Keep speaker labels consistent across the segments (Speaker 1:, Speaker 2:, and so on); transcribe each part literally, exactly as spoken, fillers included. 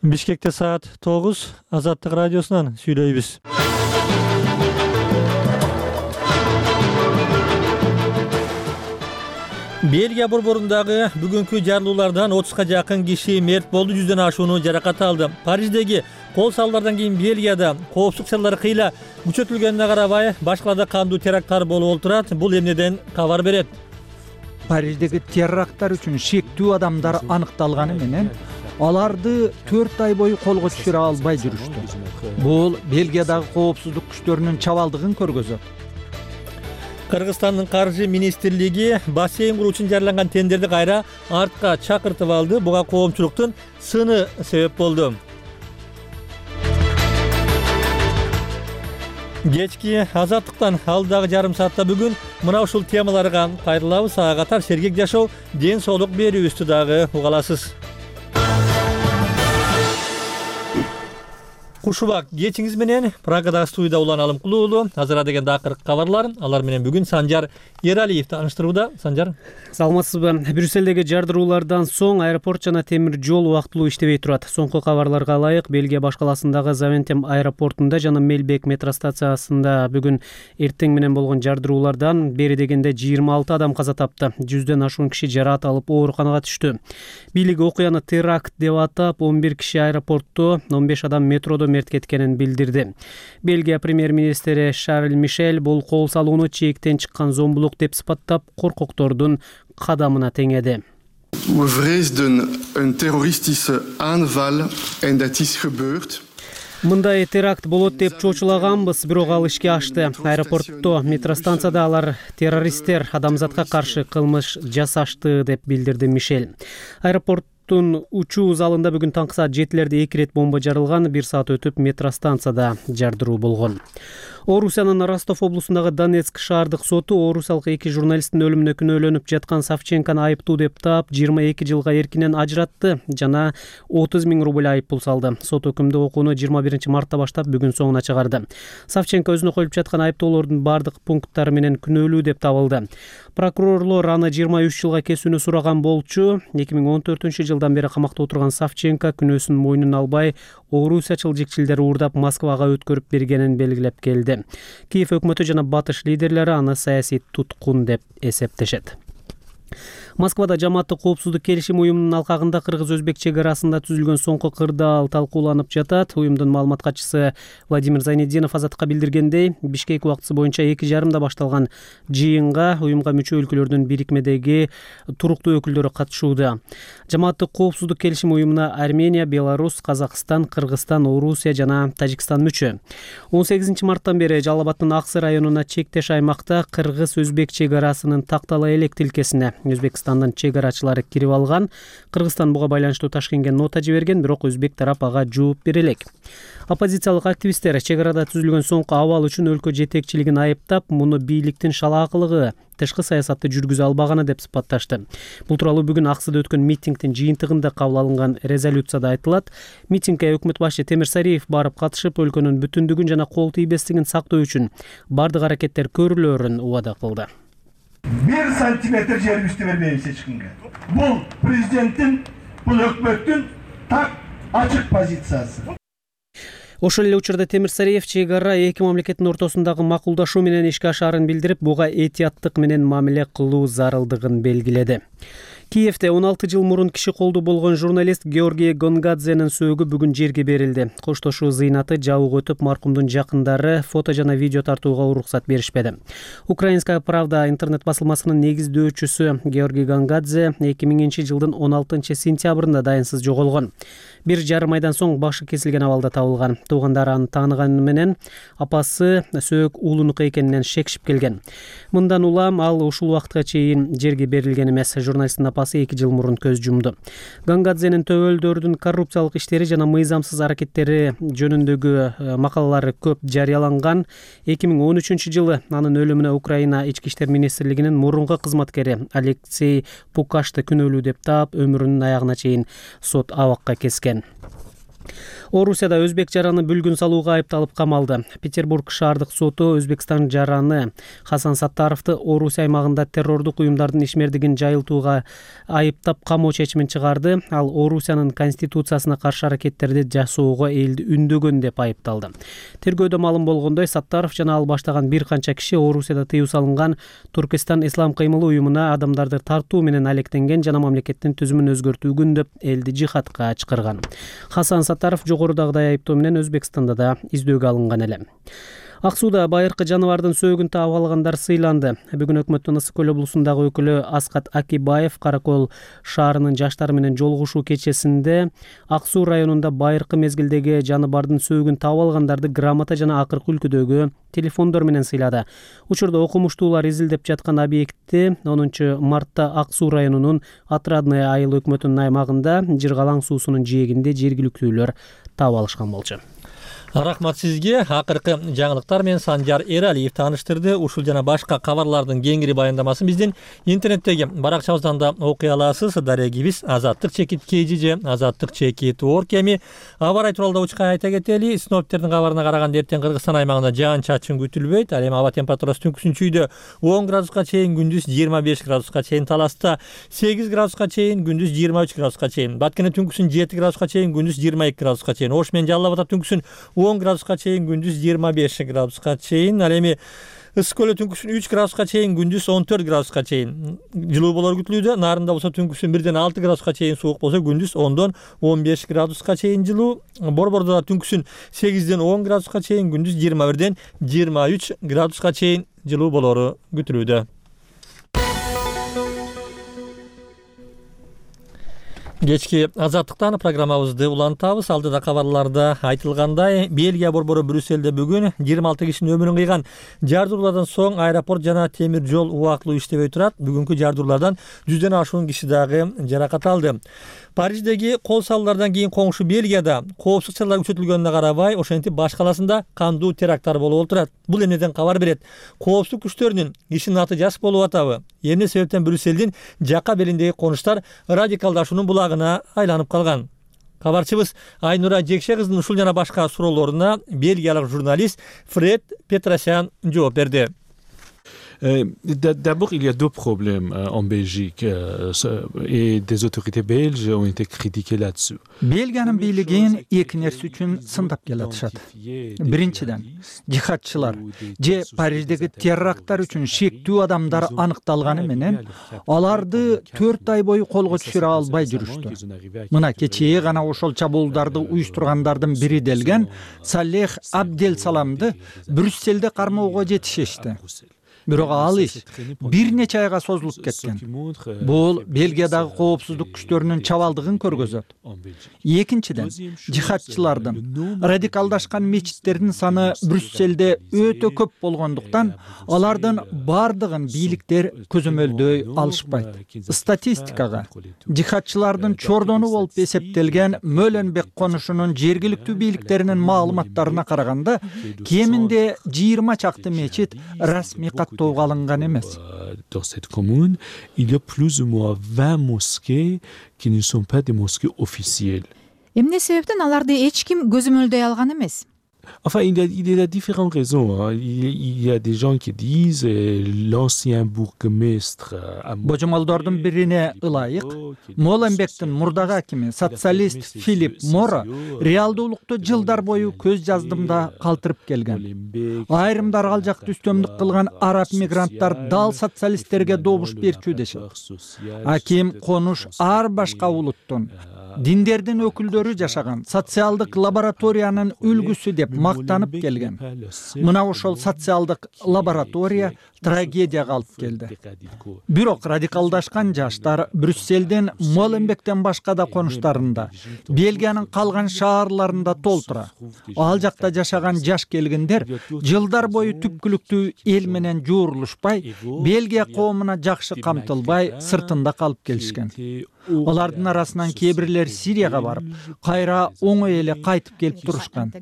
Speaker 1: Бишкекте саат тогуз, Азаттык радиосунан сүйлөйбүз. Бельгия борборундагы бүгүнкү жарылуулардан отузга жакын киши мерт болду, жүздөн ашууну жаракат алды. Париждеги кол салуулардан кийин Бельгияда коопсуздук чаралары кыйла күчөтүлгөнүнө карабай, башкаларда кандуу теракттар болуп отурат. Бул эмнеден кабар берет?
Speaker 2: Париждеги теракттар үчүн шектүү адамдар аныкталганы менен аларды төрт ай бою колго түшүрө албай жүрүштү. Бул Бельгиядагы коопсуздук күчтөрүнүн чабалдыгын көргөзөт.
Speaker 1: Кыргызстандын каржы министрлиги бассейн куруу үчүн жарыяланган тендерди кайра артка чакыртып алды. Буга коомчулуктун сыны себеп болду. Кечки Азаттыктан алдагы жарым саатта бүгүн мына ушул темаларга кайрылабыз. Ага катар сергек жашоо, ден соолук берүүбүздү дагы уга аласыз. Кушубак кечиңиз менен Прагадагы студияда Улан Алымкулуу уулу. Азыр деген акыркы кабарлар. Алар менен бүгүн Санжар Эралиев тааныштырууда. Санжар,
Speaker 3: саламатсызбы? Брюссельдеги жардыруулардан соң аэропорт жана темир жол убактылуу иштебей турат. Соңку кабарларга ылайык, Бельгия башкаласындагы Завентем аэропортунда жана Мелбек метро станциясында бүгүн эртең менен болгон жардыруулардан бери дегенде жыйырма алты адам каза тапты. Жүздөн ашуун киши жараат алып ооруканага түштү. Бийлик окуяны теракт деп атап, он бир киши аэропортто, он беш адам метродо мерт кеткенин билдирди. Бельгия премьер-министри Шарль Мишель бул кол салууну чектен чыккан зомбулук деп сыпаттап, коркоктордун кадамына теңеди.
Speaker 4: We vreesden een terroristische aanval en dat is gebeurd.
Speaker 3: Мындай теракт болот деп чочулаганбыз, бирок ал ишке ашты. Аэропортто, метростанцияда алар террористтер адамзатка каршы кылмыш жасашты деп билдирди Мишель. Аэропорт учуу залында бүгүн таңкы саат жетилерде эки рет бомба жарылган, бир саат өтүп метростанцияда жардыруу болгон. Орусиянын Ростов облусундагы Донецк шаардык соту орусиялык эки журналисттин өлүмүнө күнөөлөнүп жаткан Савченкону айыптуу деп таап, жыйырма эки жылга эркинен ажыратты жана отуз миң рубль айыппул салды. Сот өкүмдү окууну жыйырма биринчи мартта баштап бүгүн соңуна чыгарды. Савченко өзүнө коюлуп жаткан айыптоолордун бардык пункттары менен күнөөлүү деп табылды. Прокурорлор аны жыйырма үч жылга кесүүнү сураган болчу. эки миң он төртүнчү жылдан бери камакта отурган Савченко күнөөсүн мойнуна албай, Орусия чылжикчилдери уурдап Москвага өткөрүп бергенин белгилеп келди. Киев өкмөтү жана батыш лидерлери аны саясий туткун деп эсептешет. Москвада жамааттык коопсуздук келишим уюмунун алкагында кыргыз-өзбек чек арасында түзүлгөн соңку кырдаал талкууланып жатат. Уюмдун маалымат катчысы Владимир Зайнеддинов Азаттыкка билдиргендей, Бишкек убактысы боюнча эки жарымда башталган жыйынга уюмга мүчө өлкөлөрдүн бирикмедеги туруктуу өкүлдөрү катышууда. Жамааттык коопсуздук келишим уюмуна Армения, Беларусь, Казакстан, Кыргызстан, Орусия жана Тажикстан мүчө. он сегизинчи марттан бери Жалал Абадтын Аксы районуна чектеш аймакта кыргыз-өзбек чек арасынын тактала элек тилкесине Өзбекстандын чек арачылары кирип алган. Кыргызстан буга байланыштуу Ташкентке нота жиберген, бирок өзбек тарап ага жооп бере элек. Оппозициялык активисттер чек арада түзүлгөн соңку абал үчүн өлкө жетекчилигин айыптап, муну бийликтин шалаакылыгы, тышкы саясатты жүргүзө албаганы деп сыпатташты. Бул тууралуу бүгүн Аксыда өткөн митингдин жыйынтыгында кабыл алынган резолюцияда айтылат. Митингге өкмөт башчы Темир Сариев барып катышып, өлкөнүн бүтүндүгүн жана кол тийбестигин сактоо үчүн бардык аракеттер көрүлөрүн убада кылды.
Speaker 5: Bir santimetr жерибизди бербейбиз эч кимге. Бул президенттин, бул өкмөттүн так ачык позициясы.
Speaker 3: Ошол эле учурда Темир Сариев чек ара эки мамлекеттин ортосундагы макулдашуу менен ишке ашаарын билдирип, буга этияттык менен мамиле кылуу зарылдыгын белгиледи. Киевде он алты жыл мурун киши колду болгон журналист Георгий Гонгадзенин сөөгү бүгүн жерге берилди. Коштошуу зыйнаты жабык өтүп, маркумдун жакындары фото жана видео тартууга уруксат беришпеди. Украинская правда интернет басылмасынын негиздөөчүсү Георгий Гонгадзе эки миңинчи жылдын он алтынчы сентябрында дайынсыз жоголгон. Бир жарым айдан соң башы кесилген абалда табылган. Туугандары аны тааныганы менен апасы сөөк уулунуку экенинен шекшип келген. Мындан улам ал ушул убакытка чейин жерге берилген эмес. Журналисттин апасы эки жыл мурун көз жумду. Гонгадзенин төбөлдөрдүн коррупциялык иштери жана мыйзамсыз аракеттери жөнүндөгү макалалары көп жарыяланган. эки миң он үчүнчү жылы анын өлүмүнө Украина ички иштер министрлигинин мурунку кызматкери Алексей Пукашты күнөөлүү деп таап, өмүрүнүн аягына чейин сот абакка кескен. Орусияда өзбек жараны бүлгүн салууга айыпталып камалды. Петербург шаардык соту Өзбекстан жараны Хасан Саттаровду Орусия аймагында террордук уюмдардын ишмердигин жайылтууга айыптап камоо чечимин чыгарды. Ал Орусиянын конституциясына каршы аракеттерди жасоого элди үндөгөн деп айыпталды. Тергөөдө маалым болгондой, Саттаров жана ал баштаган бир канча киши Орусияда тыюу салынган Туркестан ислам кыймылы уюмуна адамдарды тартуу менен алектенген жана мамлекеттин түзүмүн өзгөртүүгүн деп элди жихадка чакырган. Хасан Саттаров жогорудагыдай айыптоо менен Өзбекстанда да издөөгө алынган эле. Ак сууда байыркы жаныбардын сөөгүн таап алгандар сыйланды. Бүгүн өкмөттүн Ысык көл облусундагы өкүлү Аскат Акибаев Каракол шаарынын жаштары менен жолугушуу кечесинде Ак суу районунда байыркы мезгилдеги жаныбардын сөөгүн таап алгандарды грамота жана акыркы үлгүдөгү телефондор менен сыйлады. Учурда окумуштуулар изилдеп жаткан объектти онунчу мартта Ак суу районунун Отрадное айыл өкмөтүнүн аймагында Жыргалаң суусунун жээгинде жергиликтүүлөр таап алышкан болчу.
Speaker 1: Рахмат сизге. Акыркы жаңылыктар менен Санжар Эралиев тааныштырды. Ушул жана башка кабарлардын кеңири баяндамасын биздин интернеттеги баракчабыздан да окуй аласыз. Дарегибиз азаттык чекит kg же азаттык чекит орг. Эми аба ырайы тууралуу учка айта кетели. Синоптиктердин кабарына караганда эртең Кыргызстан аймагында жаан чачын күтүлбөйт. Ал эми аба температурасы түнкүсүн чүйдө он градуска чейин, күндүз жыйырма беш градуска чейин, Таласта сегиз градуска чейин, күндүз жыйырма үч градуска чейин, Баткене түнкүсүн жети градуска чейин, күндүз жыйырма эки градуска чейин, Ош менен Жалал Абадта түнкүсүн он градуска чейин, күндүз жыйырма беш градуска чейин. Ал эми Ысык көлдө түнкүсүн үч градуска чейин, күндүз он төрт градуска чейин жылуу болор күтүлүүдө. Нарында болсо түнкүсүн бирден алты градуска чейин суук болсо, күндүз ондон он беш градуска чейин жылуу. Борбордо да түнкүсүн сегизден он градуска чейин, күндүз жыйырма бирден жыйырма үч градуска чейин жылуу болору күтүлүүдө. Кечки азаттыктан программабызды улантабыз. Алдыда кабарларда айтылгандай, Бельгия борбору Брюсселде бүгүн жыйырма алты кишинин өмүрүн кыйган жардуулардан соң аэропорт жана темир жол убактылуу иштебей турат. Бүгүнкү жардуулардан жүздөн ашуун киши дагы жаракат алды. Париждеги кол салуулардан кийин коңшу Бельгияда коопсуздук чаралары күчөтүлгөнүнө карабай, ошентип баш каласында кандуу теракттар болуп отурат. Бул эмнеден кабар берет? Коопсуздук күчтөрүнүн кишинин аты жаш болуп атабы? Эмне себептен Брюссельдин жака белиндеги конуштар радикалдашуунун булагына айланып калган? Кабарчыбыз Айнура Жекше кыздын ушул жана башка суроолоруна бельгиялык журналист Фред Петросян жооп берди.
Speaker 6: D'abord, il y a deux problèmes en Belgique et des autorités belges ont été critiquées là-dessus.
Speaker 2: Бельгиянын бийлигин эки нерсе үчүн сындап келатышат. Биринчиден, жихадчылар же Париждеги теракттар үчүн шектүү адамдар аныкталганы менен аларды төрт ай бою колго түшүрө албай жүрүштү. Мына кечээ гана ошол чабуулдарды уюштургандардын бири делген Салех Абдел Саламды Брюссельде кармоого жетишишти. Бирок ал иш бир нече айга созулуп кеткен. Бул Бельгиядагы коопсуздук күчтөрүнүн чабалдыгын көргөзөт. Экинчиден, жихадчылардын радикалдашкан мечиттердин саны Брюссельде өтө көп болгондуктан, алардын бардыгын бийликтер көзөмөлдөй алышпайт. Статистикага жихадчылардын чордону болуп эсептелген Мөленбек конушунун жергиликтүү бийликтеринин маалыматтарына караганда, кеминде жыйырма чакты мечит расмий
Speaker 6: Dans cette commune, il y a plus ou moins vingt mosquées qui ne sont pas des mosquées officielles.
Speaker 7: Эмне себептен аларды эч ким көзөмөлдөй алган эмес?
Speaker 6: Enfin, il y a, il y a différentes raisons. Hein. Il, il y a des gens qui disent euh, l'ancien bourgmestre.
Speaker 2: Божомолдордун бирине ылайык, Моленбектин мурдагы акими социалист Филипп Мора реалдуулукту жылдар бою көз жаздымда калтырып келген. Айрымдар ал жакты үстөмдүк кылган араб мигранттар дал социалисттерге добуш берчү дешет. Аким конуш ар башка улуттун диндердин өкүлдөрү жашаган социалдык лабораториянын үлгүсү деп мактанып келген. Мына ошол социалдык лаборатория трагедияга алып келди. Бирок радикалдашкан жаштар Брюссельдин Моленбектен башка да конуштарында, Бельгиянын калган шаарларында толтура. Ал жакта жашаган жаш келгендер жылдар бою түпкүлүктүү эл менен жуурулушпай, Бельгия коомуна жакшы камтылбай, сыртында калып келишкен. Алардын арасынан кээ бирлери Сирияга барып, кайра оңой эле кайтып келип турушкан.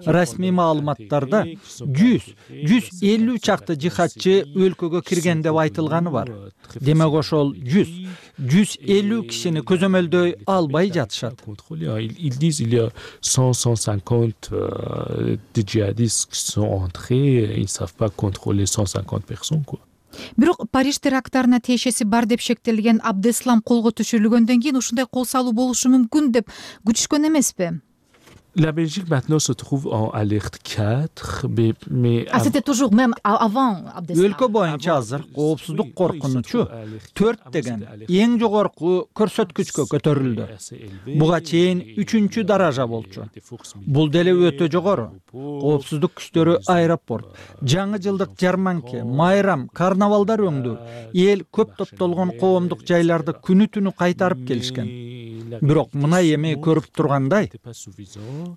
Speaker 2: Расмий маалыматтарда жүз жүз элүү чакты жихадчы өлкөгө кирген деп айтылганы бар. Демек ошол жүз жүз элүү кишини көзөмөлдөй албай жатышат.
Speaker 6: Ils disent il y a cent à cent cinquante euh, de djihadistes qui sont entrés, ils ne savent pas contrôler cent cinquante personnes quoi.
Speaker 7: Бирок Париж терактарына тиешеси бар деп шектелген Абдеслам колго түшүрүлгөндөн кийин ушундай кол салуу болушу мүмкүн деп күтүшкөн эмеспи?
Speaker 6: La Belgique maintenant se trouve en alerte quatre, mais, mais
Speaker 7: Ah, c'était toujours même avant Abdeslam.
Speaker 2: Өлкө боюнча азыр коопсуздук коркунучу төрт деген эң жогорку көрсөткүчкө көтөрүлдү. Буга чейин үчүнчү даража болчу. Бул деле өтө жогору. Коопсуздук күчтөрү аэропорт, жаңы жылдык жарманке, майрам, карнавалдар өңдү, эл көп топтолгон коомдук жайларды күнү түнү кайтарып келишкен. Бирок мына эми көрүп тургандай,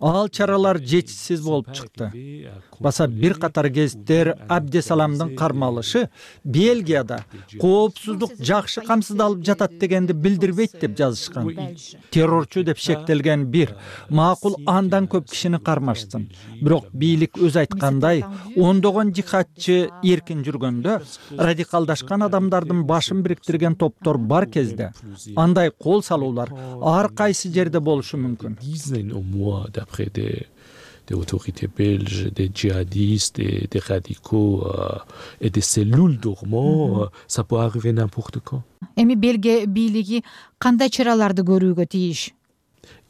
Speaker 2: ал чаралар жетишсиз болуп чыкты. Баса бир катар гезиттер Абдесаламдын кармалышы Бельгияда коопсуздук жакшы камсыздалып жатат дегенди билдирбейт деп жазышкан. Террорчу деп шектелген бир макул андан көп кишини кармашсын. Бирок бийлик өз айткандай, ондогон жихадчы эркин жүргөндө радикалдашкан адамдардын башын бириктирген топтор бар кезде андай кол салуулар ар кайсы жерде болушу мүмкүн.
Speaker 6: D'après des, des autorités belges, des djihadistes, des, des radicaux euh, et des cellules dormants, mm-hmm. euh, ça peut arriver n'importe quand.
Speaker 7: Эми Бельгия бийлиги кандай чараларды көрүүгө тийиш?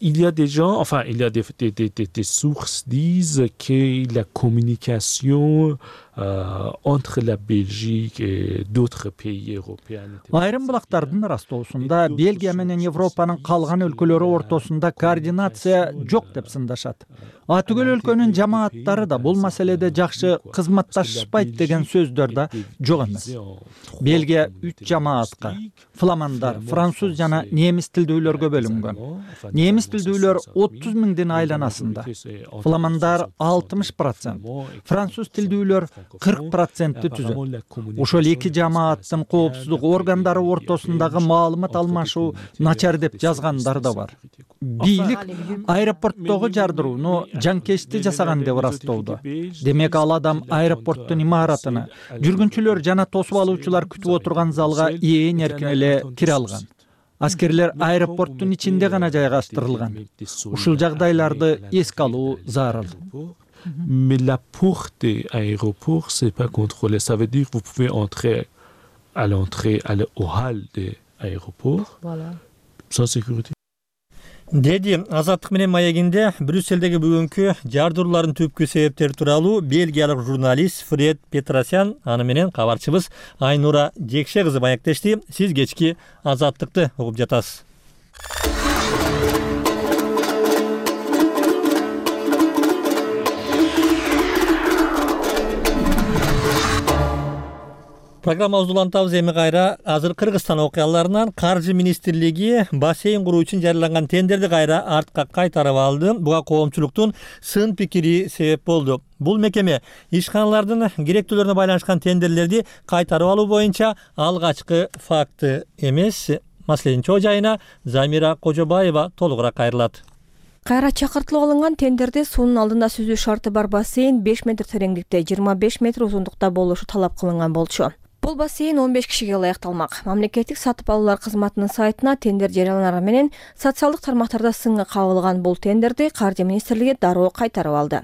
Speaker 6: Il y a des gens, enfin, il y a des, des, des, des, des sources disent que la communication euh, entre la Belgique et d'autres pays européens.
Speaker 2: Айрым булактардын растоосунда Бельгия менен Европанын калган өлкөлөрү ортосунда координация жок деп сындашат. А түгөл өлкөнүн жамааттары да бул маселеде жакшы кызматташпайт деген сөздөр да жок эмес. Бельгия үч жамаатка фламандар, француз жана немис тилдүүлөргө бөлүнгөн. Немис тилдүүлөр отуз миңдин айланасында. Фламандар алтымыш процент, француз тилдүүлөр кырк процентти түзөт. Ошол эки жамааттын коопсуздук органдары ортосундагы маалымат алмашуу начар деп жазгандар да бар. Бийлик аэропорттогу жардырууну жанкечти жасаган деп ырастоодо. Демек ал адам аэропорттун имаратына, жүргүнчүлөр жана тосуп алуучулар күтүп отурган залга ээн эркин эле кире алган. Аскерлер аэропорттун ичинде гана жайгаштырылган. Ушул жагдайларды эске алуу зарыл.
Speaker 6: Mais la porte de l'aéroport, c'est pas contrôlé. Ça veut dire que vous pouvez entrer à l'entrée, aller au hall de l'aéroport, voilà. Sans sécurité.
Speaker 1: Деди Азаттык менен маегинде Брюсселдеги бүгүнкү жардыруулардын түпкү себептери тууралуу бельгиялык журналист Фред Петросян аны менен кабарчыбыз Айнура Жекше кызы маектешти. Сиз кечки Азаттыкты угуп жатасыз. Программабызды улантабыз. Эми кайра азыр Кыргызстан окуяларынан Каржы министрлиги бассейн куруу үчүн жарыяланган тендерди кайра артка кайтарып алды. Буга коомчулуктун сын пикири себеп болду. Бул мекеме ишканалардын керектүүлөрүнө байланышкан тендерлерди кайтарып алуу боюнча алгачкы факты эмес. Маселенин чоо жайына Замира Кожобаева толугураак кайрылат.
Speaker 8: Кайра чакыртылып алынган тендерде суунун алдында сүзүү шарты бар бассейн беш метр тереңдикте, жыйырма беш метр узундукта болушу талап кылынган болчу. Бул бассейн он беш кишиге ылайыкталмак. Мамлекеттик сатып алуулар кызматынын сайтына тендер жарыяланары менен социалдык тармактарда сынга кабылган бул тендерди Каржы министрлиги дароо кайтарып алды.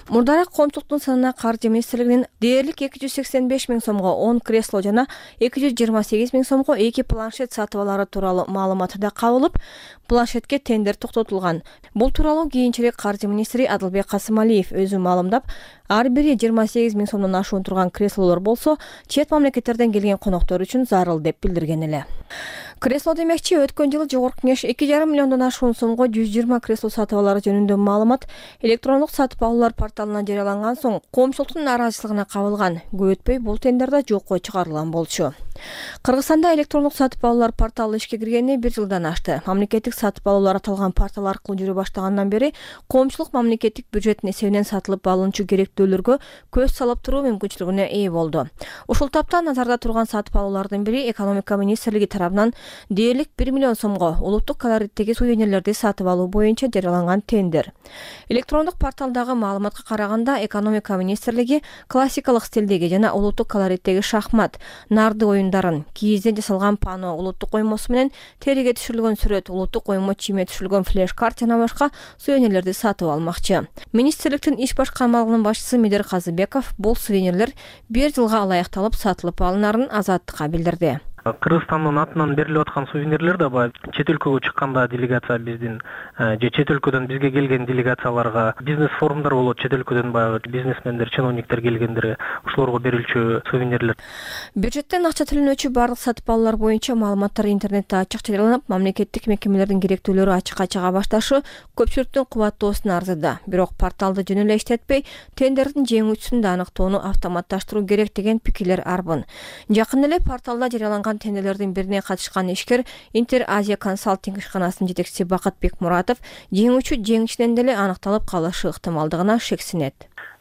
Speaker 8: Мурдараак коомчулуктун санына Каржы министрлигинин дээрлик эки жүз сексен беш миң сомго он кресло жана эки жүз жыйырма сегиз миң сомго эки планшет сатып алары тууралуу маалыматы да кабылып, планшетке тендер токтотулган. Бул тууралуу кийинчерээк Каржы министри Адылбек Касымалиев өзү маалымдап, ар бири жыйырма сегиз миң сомдон ашуун турган креслолор болсо, чет мамлекеттерден келген коноктор үчүн зарыл деп билдирген эле. Кресло демекчи, өткөн жылы жогорку кеңеш эки жарым миллиондон ашуун сомго жүз жыйырма кресло сатып алары жөнүндө маалымат электрондук сатып алуу алуулар порталына жарыяланган соң коомчулуктун нааразычылыгына кабылган. Көп өтпөй бул тендер да жокко чыгарылган болчу. Кыргызстанда электрондук сатып алуулар порталы ишке киргенине бир жылдан ашты. Мамлекеттик сатып алуулар аталган портал аркылуу жүрө баштагандан бери коомчулук мамлекеттик бюджеттин эсебинен сатылып алынчу керектүүлөргө көз салып туруу мүмкүнчүлүгүнө ээ болду. Ушул тапта назарда турган сатып алуулардын бири экономика министрлиги тарабынан дээрлик бир миллион сомго улуттук колориттеги сувенирлерди сатып алуу боюнча жарыяланган тендер. Электрондук порталдагы маалыматка караганда экономика министрлиги классикалык стилдеги жана улуттук колориттеги шахмат, нарды оюндарын, кийизден жасалган пано улуттук коймосу менен териге түшүрүлгөн сүрөт, улуттук коймо чийме түшүрүлгөн флеш-карт жана башка сувенирлерди сатып алмакчы. Министрликтин иш башкармалыгынын башчысы Медер Казыбеков бул сувенирлер бир жылга алаякталып сатылып алынарын Азаттыкка билдирди.
Speaker 9: Кыргызстандын атынан берилип аткан сувенирлер да баягы чет өлкөгө чыкканда делегация биздин же чет өлкөдөн бизге келген делегацияларга бизнес форумдар болот, чет өлкөдөн баягы бизнесмендер, чиновниктер келгендер ошолорго берилчү сувенирлер.
Speaker 8: Бюджеттен акча төлөнүүчү барлык сатып алуулар боюнча маалыматтар интернетте ачык жарыяланып, мамлекеттик мекемелердин керектүүлөрү ачыкка чыга башташы көпчүлүктүн кубаттоосуна арзыды. Бирок порталды жөн эле иштетпей, тендердин жеңүүчүсүн да аныктоону автоматташтыруу керек деген пикирлер арбын. Жакын эле порталда жарыяланган тендерлердин бирине катышкан ишкер Интер Азия консалтинг ишканасынын жетекчиси Бакытбек Муратов жеңүүчү жеңишинен деле аныкталып калышы ыктымалдыгына шексинет.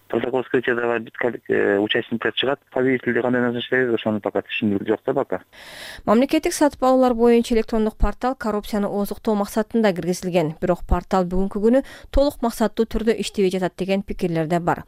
Speaker 10: Протокол вскрытия давай биткалик участниктер чыгат. Победителди кандай назначать, ошону пока түшүндүрүү жок да пока.
Speaker 8: Мамлекеттик сатып алуулар боюнча электрондук портал коррупцияны озуктоо максатында киргизилген. Бирок портал бүгүнкү күнү толук максаттуу түрдө иштебей жатат деген пикирлер да бар.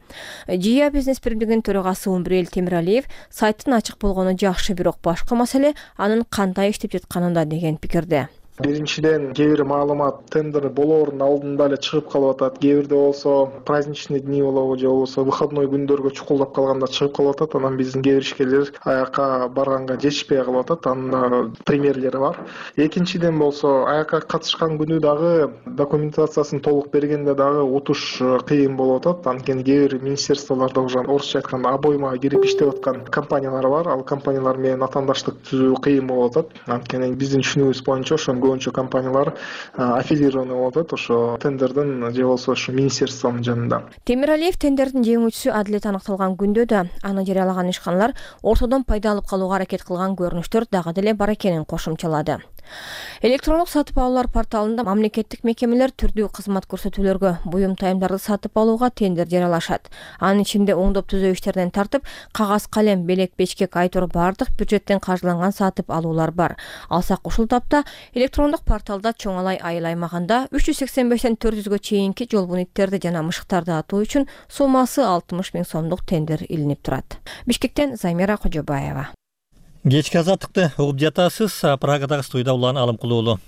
Speaker 8: ЖИА бизнес биримдигинин төрагасы Умбрел Темиралиев сайттын ачык болгону жакшы, бирок башкы маселе анын кандай иштеп жатканында деген пикирде.
Speaker 11: Биринчиден, кээ бир маалымат тендер болоордун алдында эле чыгып калып атат. Кээ бирде болсо праздничный дни болобу же болбосо выходной күндөргө чукулдап калганда чыгып калып атат. Анан биздин кээ бир ишкерлер аякка барганга жетишпей калып атат. Анын примерлери бар. Экинчиден болсо аякка катышкан күнү дагы документациясын толук бергенде дагы утуш кыйын болуп атат. Анткени кээ бир министерстволордо уже орусча айтканда обойма кирип иштеп аткан компаниялар бар. Ал компаниялар менен атаандаштык түзүү кыйын болуп атат. Анткени биздин түшүнүгүбүз боюнча ошо көбүнчө компаниялар аффилированы болуп атат ошо тендердин же болбосо ошо министерствонун жанында.
Speaker 8: Темиралиев тендердин жеңүүчүсү адилет аныкталган күндө да аны жарыялаган ишканалар ортодон пайда алып калууга аракет кылган көрүнүштөр дагы деле бар экенин кошумчалады. Электрондук сатып алуулар порталында мамлекеттик мекемелер түрдүү кызмат көрсөтүүлөргө, буюм тайымдарды сатып алууга тендер жарыялашат. Анын ичинде оңдоп түзөө иштеринен тартып, кагаз калем, белек, бечкек, айтор бардык бюджеттен каржыланган сатып алуулар бар. Алсак ушул тапта электрондук порталда чоңалай айыл аймагында үч жүз сексен бештен төрт жүзгө чейинки жол буниттерди жана мышыктарды атуу үчүн суммасы алтымыш миң сомдук тендер илинип турат. Бишкектен Займира Кожобаева.
Speaker 1: Кечки азаттыкты угуп жатасыз. Прагадагы студияда Улан Алымкулуу уулу.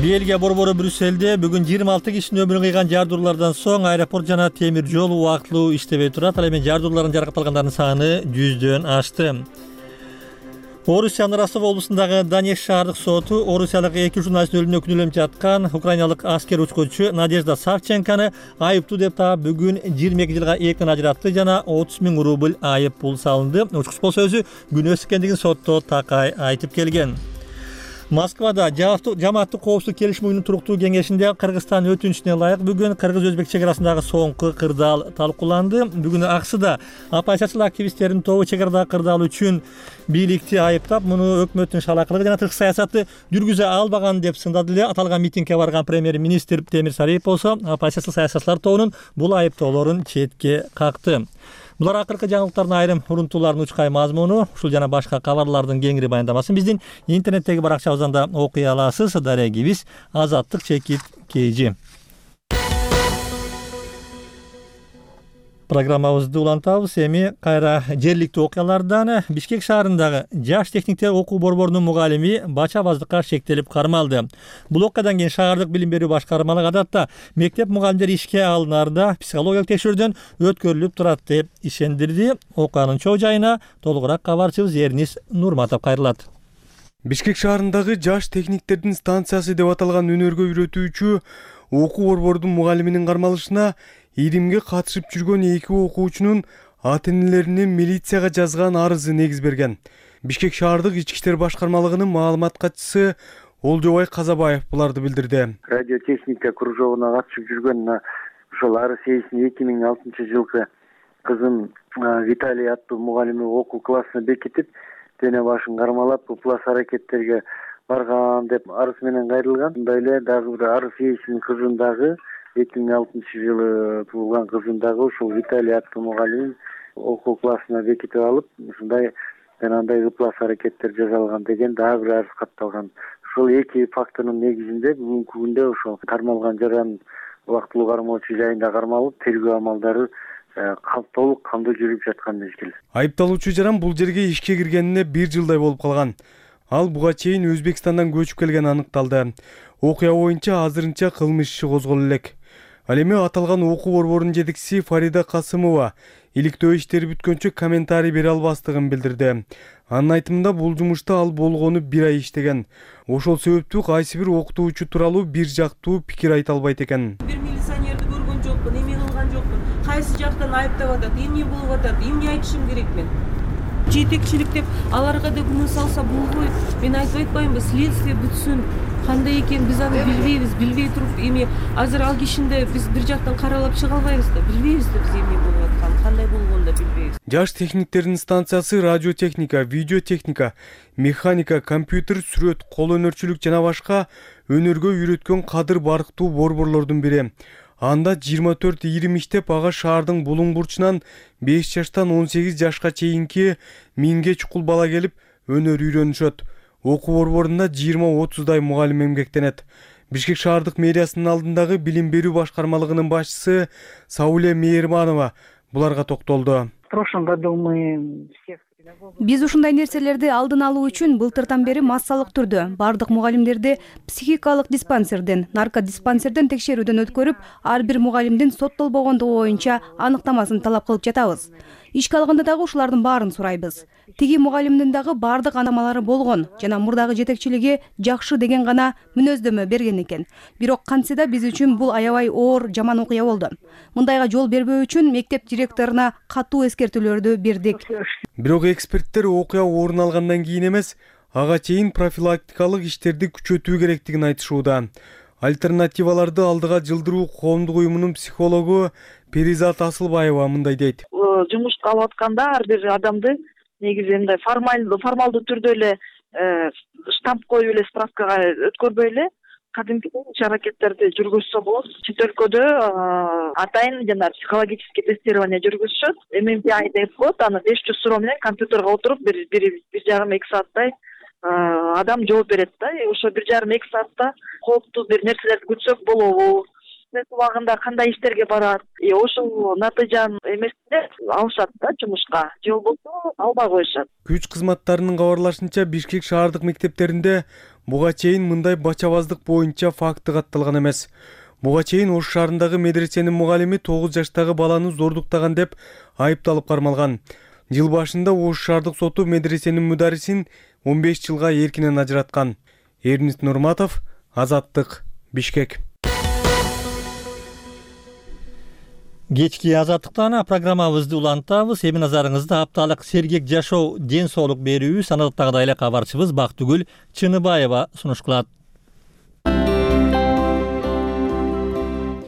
Speaker 1: Бельгия борбору Брюсселде бүгүн жыйырма алты кишинин өмүрүн кыйган жардуулардан соң аэропорт жана темир жол убактылуу иштебей турат. Ал эми жардуулардын жаракат алгандардын саны жүздөн ашты. Орусиянын Ростов облусундагы Донецк шаардык соту орусиялык эки журналисттин өлүмүнө күнөөлөнүп жаткан украиналык аскер учкучу Надежда Савченканы айыптуу деп таап бүгүн жыйырма эки жылга эрктен ажыратты жана отуз миң рубль айып пул салынды. Учкуч болсо өзү күнөөсүз экендигин сотто такай айтып келген. Москвада жамааттык коопсуздук келишим уюмунун туруктуу кеңешинде Кыргызстан өтүнүчүнө ылайык бүгүн кыргыз-өзбек чек арасындагы соңку кырдаал талкууланды. Бүгүн аксыда оппозициялык активисттердин тобу чек арадагы кырдаал үчүн бийликти айыптап, муну өкмөттүн шалакылыгы жана тышкы саясатты жүргүзө албаган деп сындады эле. Аталган митингге барган премьер-министр Темир Сариев болсо оппозициялык саясатчылар тобунун бул айыптоолорун четке какты. Булар акыркы жаңылыктардын айрым урунтууларынын учкай мазмуну, ушул жана башка кабарлардын кеңири баяндамасын биздин интернеттеги баракчабыздан да окуй аласыз. Дарегибиз Азаттык чекит кейжи. Программабызды улантабыз. Эми кайра жергиликтүү окуялардан. Бишкек шаарындагы жаш техниктер окуу борборунун мугалими бачабаздыкка шектелип кармалды. Бул окуядан кийин шаардык билим берүү башкармалыгы адатта мектеп мугалимдери ишке алынаарда психологиялык текшерүүдөн өткөрүлүп турат деп ишендирди. Окуянын чоо жайына толугураак кабарчыбыз Эрнис Нурматов кайрылат.
Speaker 12: Бишкек шаарындагы жаш техниктердин станциясы деп аталган өнөргө үйрөтүүчү окуу борбордун мугалиминин кармалышына иримге катышып жүргөн эки окуучунун ата-энелеринин милицияга жазган арызы негиз берген. Бишкек шаардык ички иштер башкармалыгынын маалымат катчысы Олжобай Казабаев буларды билдирди.
Speaker 13: Радиотехника кружогуна катышып жүргөн ошол арыс ээсинин эки миң алтынчы жылкы кызым Виталий аттуу мугалими окуу классына бекитип, дене башын кармалап, ыплас аракеттерге барган деп арыз менен кайрылган. Мындай эле дагы бир арыс ээсинин кызын дагы эки миң алтынчы жылы туулган кызын дагы ушул Виталий аттуу мугалим окуу классына бекитип алып, ушундай жанагындай ыплас аракеттер жасалган деген дагы бир арыз катталган. Ошол эки фактынын негизинде бүгүнкү күндө ошол кармалган жаран убактылуу кармоочу жайында кармалып, тергөө амалдары толук кандуу жүрүп жаткан мезгил.
Speaker 12: Айыпталуучу жаран бул жерге ишке киргенине бир жылдай болуп калган. Ал буга чейин Өзбекстандан көчүп келгени аныкталды. Окуя боюнча азырынча кылмыш иши козголо элек. Ал эми аталган окуу борборунун жетекчиси Фарида Касымова иликтөө иштери бүткөнчө комментарий бере албастыгын билдирди. Анын айтымында бул жумушта ал болгону бир ай иштеген. Ошол себептүү кайсы бир окутуучу тууралуу бир жактуу пикир айта албайт экен.
Speaker 14: Бир милиционерди көргөн жокмун, эме кылган жокмун. Кайсы жактан айыптап атат, эмне болуп атат, эмне айтышым керек мен? Жетекчилик деп аларга да күнөө салса болбойт. Мен айтып атпаймынбы, следствие бүтсүн. Кандай экен биз аны билбейбиз, билбей туруп эми азыр ал кишинде биз бир жактан каралап чыга албайбыз да, билбейбиз да биз эмне болуп атканын, кандай болгонун да билбейбиз.
Speaker 12: Жаш техниктердин станциясы радиотехника, видеотехника, механика, компьютер, сүрөт, кол өнөрчүлүк жана башка өнөргө үйрөткөн кадыр барктуу борборлордун бири. Анда жыйырма төрт ийрим иштеп, ага шаардын булуң бурчунан беш жаштан он сегиз жашка чейинки миңге чукул бала келип өнөр үйрөнүшөт. Окуу борборунда жыйырма отуздай мугалим эмгектенет. Бишкек шаардык мэриясынын алдындагы билим берүү башкармалыгынын башчысы Сауле Мейерманова буларга токтолду.
Speaker 15: В прошлом году мы всех
Speaker 16: Биз ушундай нерселерди алдын алуу үчүн былтыртан бери массалык түрдө бардык мугалимдерди психикалык диспансерден, наркодиспансерден текшерүүдөн өткөрүп, ар бир мугалимдин соттолбогондугу боюнча аныктамасын талап кылып жатабыз. Ишке алганда дагы ушулардын баарын сурайбыз. Тиги мугалимдин дагы бардык анамалары болгон жана мурдагы жетекчилиги жакшы деген гана мүнөздөмө берген экен. Бирок кантсе да биз үчүн бул аябай оор, жаман окуя болду. Мындайга жол бербөө үчүн мектеп директоруна катуу эскертүүлөрдү бердик.
Speaker 12: Бирок эксперттер окуя орун алгандан кийин эмес, ага чейин профилактикалык иштерди күчөтүү керектигин айтышууда. Альтернативаларды алдыга жылдыруу коомдук уюмунун психологу Перизат Асылбаева мындай дейт.
Speaker 15: Жумушка алып атканда ар бир адамды негизи мындай формалдуу формалдуу түрдө эле штамп коюп эле справкага өткөрбөй эле кадимки иш аракеттерди жүргүзсө болот. Чет өлкөдө атайын жана психологический тестирование жүргүзүшөт. эм эм пи ай деп коет, аны беш жүз суроо менен компьютерге отуруп бир бир жарым эки сааттай адам жооп берет да. Ошо бир жарым эки саатта кооптуу бир нерселерди күтсөк болобу, убагында кандай иштерге барат, ошол натыйжанын эмесинде алышат да жумушка, же болбосо албай коюшат.
Speaker 12: Күч кызматтарынын кабарлашынча Бишкек шаардык мектептеринде буга чейин мындай бачабаздык боюнча факты катталган эмес. Буга чейин Ош шаарындагы медресенин мугалими тогуз жаштагы баланы зордуктаган деп айыпталып кармалган. Жыл башында Ош шаардык соту медресенин мударисин он беш жылга эркинен ажыраткан. Эрнис Нурматов, Азаттык, Бишкек.
Speaker 1: Кечки Азаттыктан программабызды улантабыз. Эми назарыңызды апталык сергек жашоо, ден соолук берүү санаттагыдай эле кабарчыбыз Бактыгүл Чыныбаева сунуш кылат.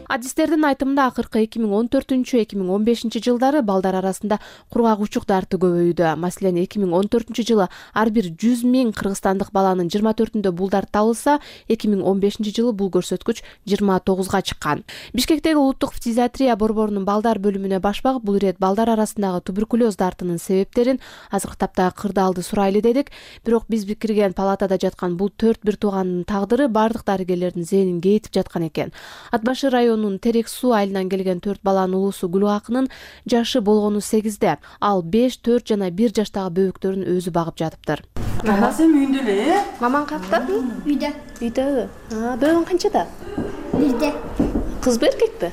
Speaker 17: Адистердин айтымында акыркы эки миң он төртүнчү эки миң он бешинчи жылдары балдар арасында кургак учук дарты көбөйдү. Маселен, эки миң он төртүнчү жылы ар бир жүз миң кыргызстандык баланын жыйырма төртүндө бул дарт табылса, эки миң он бешинчи жылы бул көрсөткүч жыйырма тогузга чыккан. Бишкектеги улуттук фтизиатрия борборунун балдар бөлүмүнө баш багып, бул ирет балдар арасындагы туберкулез дартынын себептерин азыркы тапта кырдаалды сурайлы дедик. Бирок биз кирген палатада жаткан бул төрт бир туугандын тагдыры бардык дарыгерлердин зээнин кейитип жаткан экен. Ат башы район Терек суу айылынан келген төрт баланын улуусу Гүлакынын жашы болгону сегизде. Ал беш, төрт жана бир жаштагы бөбөктөрүн өзү багып жатыптыр.
Speaker 14: Мама сен үйүндө эле?
Speaker 17: Мамаң каякта?
Speaker 18: Үйдө.
Speaker 17: Үйдө. А, бөбөң канчада?
Speaker 18: Бирде.
Speaker 17: Кызбы, эркекпи?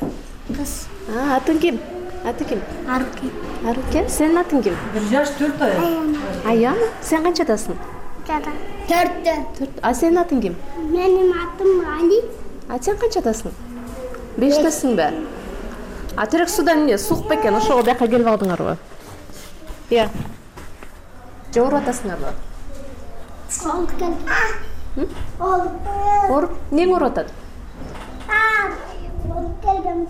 Speaker 18: Кыз.
Speaker 17: А, атың ким? Аты ким?
Speaker 18: Арукен.
Speaker 17: Арукен, сенин атың ким?
Speaker 14: бир жаш төрт ай.
Speaker 17: Аян, сен канчадасың?
Speaker 18: Төрттө.
Speaker 17: Төрт. А сенин атың ким?
Speaker 18: Менин атым Али.
Speaker 17: А сен канчадасың? Бештесиңби? А терек судан эмне сук бекен, ошого бияка келип алдыңарбы? Иә. же ооруп атасыңарбы?
Speaker 18: Ооруп келдим. Ооруп.
Speaker 17: Ооруп? Эмнең ооруп атат?
Speaker 18: Ооруп келдим.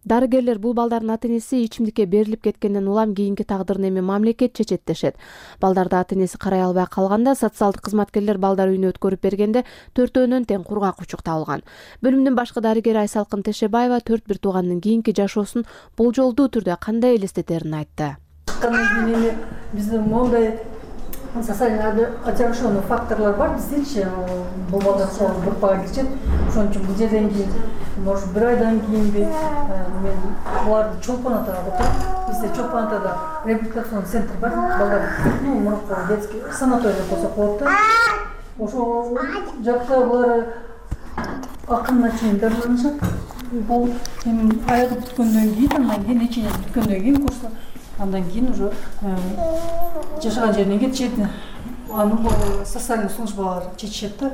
Speaker 17: Дарыгерлер бул балдардын ата-энеси ичимдикке берилип кеткенден улам кийинки тагдырын эми мамлекет чечет дешет. Балдарды ата-энеси карай албай калганда социалдык кызматкерлер балдар үйүнө өткөрүп бергенде төртөөнөн тең кургак учук табылган. Бөлүмдүн башкы дарыгери Айсалкын Тешебаева төрт бир туугандын кийинки жашоосун болжолдуу түрдө кандай элестетерин айтты.
Speaker 19: Биздин мондай социально отягченный факторлор бар биздечи, бул балдар сол группага киришет. Ошон үчүн бул жерден кийин, может, бир айдан кийинби мен буларды чолпон атага отуруп, бизде чолпон атада реабилитационный центр бар, балдар, ну, мурунку детский санаторий деп койсок болот да. Ошол жакта булар акырына чейин дарыланышат. Бул эми аягы бүткөндөн кийин, андан кийин лечение бүткөндөн кийин курс, андан кийин уже жашаган жерине кетишет. Аны социальный службалар чечишет да.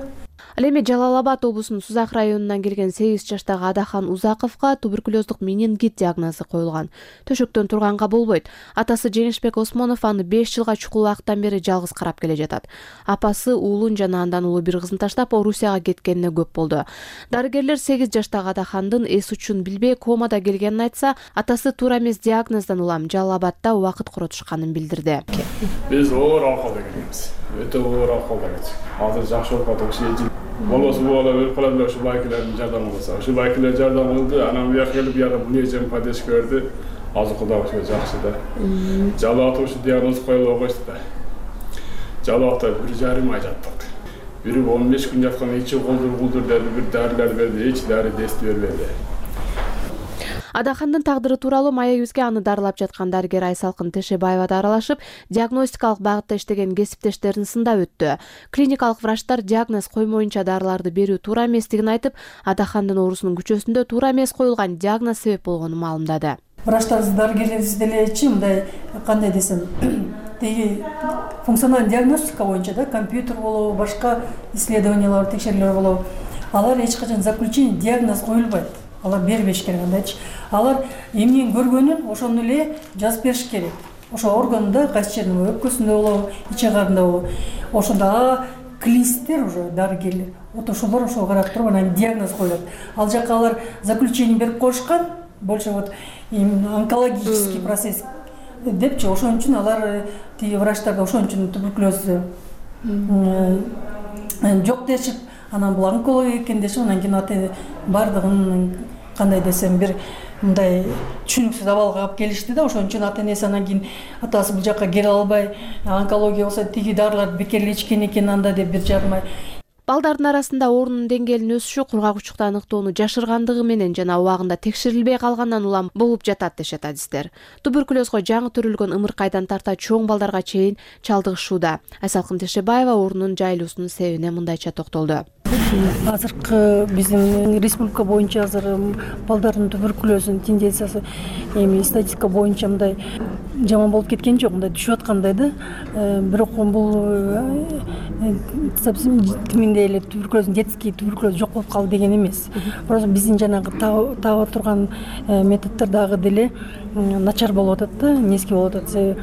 Speaker 17: Ал эми Жалал Абад облусунун Сузак районунан келген сегиз жаштагы Адахан Узаковго туберкулездук менингит диагнозу коюлган. Төшөктөн турганга болбойт. Атасы Женишбек Осмонов аны беш жылга чукул убакыттан бери жалгыз карап келе жатат. Апасы уулун жана андан улуу бир кызын таштап Орусияга кеткенине көп болду. Дарыгерлер сегиз жаштагы Адахандын эс учун билбей комада келгенин айтса, атасы туура эмес диагноздан улам Жалал Абадда убакыт коротушканын билдирди.
Speaker 20: Биз оор акылда келебиз. Өтө оор акылда келебиз. Азыр жакшы болуп атат. Болосу бала өлүп калат эле ушул байкелердин жардамы кылса. Ушул байкелер жардам кылды, анан буяка келип буяка мунежем поддержка берди. Азыр Кудай ошо жакшы да. Жалаатта ушу диагноз коюлуп койсу да. Жалаатта бир жарым ай жаттык. Бири он беш күн жаткан ичи колдур колдур деди, бир дарылар берди, эч дары действий бербеди.
Speaker 17: Адахандын тагдыры тууралуу маегибизге аны дарылап жаткан дарыгер Айсалкын Тешебаева да аралашып, диагностикалык багытта иштеген кесиптештерин сындап өттү. Клиникалык врачтар диагноз коймоюнча дарыларды берүү туура эместигин айтып, Адахандын оорусунун күчөсүндө туура эмес коюлган диагноз себеп болгонун маалымдады.
Speaker 19: Врачтарыбыз, дарыгерлерибиз делечи мындай кандай десем, теги функциональный диагностика боюнча да, компьютер болобу, башка исследованиялар, текшерүүлөр болобу, алар эч качан заключение диагноз коюлбайт. Алар бербеш керек андайчы. Алар эмнени көргөнүн ошону эле жазып бериш керек. Ошо органда кайсы жеринде, өпкөсүндө болобу, ич агарында болобу. Ошондо клинисттер уже дарыгерлер. Вот ошолор ошо карап туруп анан диагноз коюлат. Ал жака алар заключение берип коюшкан, больше вот онкологический процесс депчи. Ошон үчүн алар тиги врачтар ошон үчүн туберкулез жок дешип, анан бул онкология экен дешип, анан кийин ата бардыгын кандай десем бир мындай түшүнүксүз абалга алып келишти да. Ошон үчүн ата-энеси анан кийин атасы бул жакка келе албай, онкология болсо тиги дарыларды бекерли ичкен экен анда деп бир жарым ай.
Speaker 17: Балдардын арасында оорунун деңгээлинин өсүшү кургак учукта аныктоону жашыргандыгы менен жана убагында текшерилбей калгандан улам болуп жатат дешет адистер. Туберкулезго жаңы төрөлгөн ымыркайдан тарта чоң балдарга чейин чалдыгышууда. Айсалкын Тешебаева оорунун жайылуусунун себебине мындайча токтолду.
Speaker 19: Азыркы биздин республика боюнча азыр балдардын туберкулезүнүн тенденциясы эми статистика боюнча мындай жаман болуп кеткен жок, мындай түшүп аткандай да. Бирок бул совсем тиминдей эле туберкулез, детский туберкулез жок болуп калды деген эмес. Просто биздин жанагы таба турган методдор дагы деле начар болуп атат да, низкий болуп атат.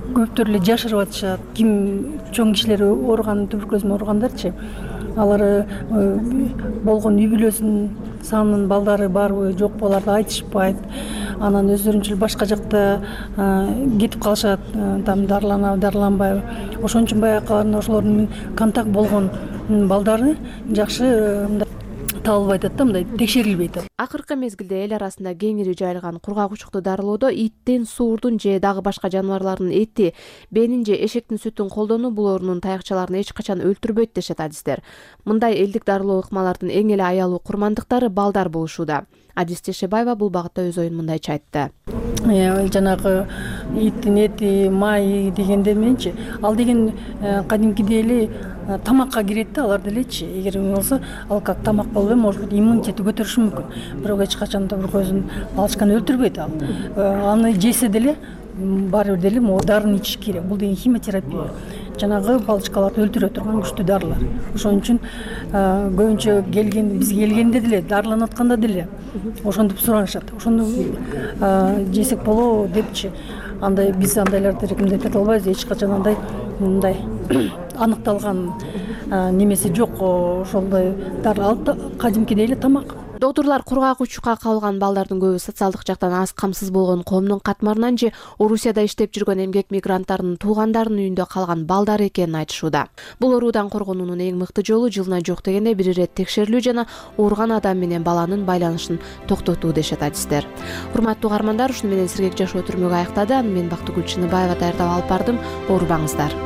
Speaker 19: Көптөр эле жашырып атышат. Ким чоң кишилер ооруган, туберкулез менен ооругандарчы, алар болгон үй бүлөсүнүн санынын балдары барбы жокпу аларды айтышпайт. Анан өздөрүнчө башка жакта кетип калышат, там дарыланабы, дарыланбайбы. Ошон үчүн баягы ошолордун контакт болгон балдары жакшы табылбай атат да, мындай текшерилбей атат.
Speaker 17: Акыркы мезгилде эл арасында кеңири жайылган кургак учукту дарылоодо иттин, суурдун же дагы башка жаныбарлардын эти, бенин же эшектин сүтүн колдонуу бул оорунун таякчаларын эч качан өлтүрбөйт дешет адистер. Мындай элдик дарылоо ыкмалардын эң эле аялуу курмандыктары балдар болушууда. Адис Тешебаева бул багытта өз оюн мындайча айтты.
Speaker 19: Жанагы иттин эти, май дегенде менчи, ал деген кадимкидей эле тамакка кирет да, алар делечи. Эгер болсо, ал как тамак болбой, может быть, иммунитети көтөрүшү мүмкүн. Бирок эч качан туберкулездин балчыканы өлтүрбөйт ал. Аны жесе деле баары бир деле могу дарыны ичиш керек. Бул деген химиотерапия. Жанагы балчыкаларды өлтүрө турган күчтүү дарылар. Ошон үчүн көбүнчө келген, биз келгенде деле, дарыланып атканда деле ошондуп суранышат. Ошону жесек болобу депчи. андай биз андайларды рекомендация эте албайбыз. Эч качан андай мындай аныкталган немеси жок. Ошондой кадимкидей эле тамак.
Speaker 17: Доктурлар кургак учукка кабылган балдардын көбү социалдык жактан аз камсыз болгон коомдун катмарынан же Орусияда иштеп жүргөн эмгек мигранттарынын туугандарынын үйүндө калган балдар экенин айтышууда. Бул оорудан коргонуунун эң мыкты жолу жылына жок дегенде бир ирет текшерилүү жана ооруган адам менен баланын байланышын токтотуу дешет адистер. Урматтуу угармандар, ушуну менен сергек жашоо түрмөгү аяктады. Аны мен Бактыгүл Чыныбаева даярдап алып бардым. Оорубаңыздар.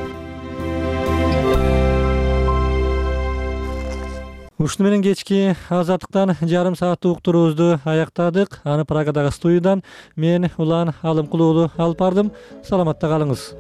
Speaker 1: Ушуну менен кечки азаттыктан жарым сааттык уктуруубузду аяктадык. Аны Прагадагы студиядан мен Улан Алымкулуулу алып бардым. Саламатта калыңыз.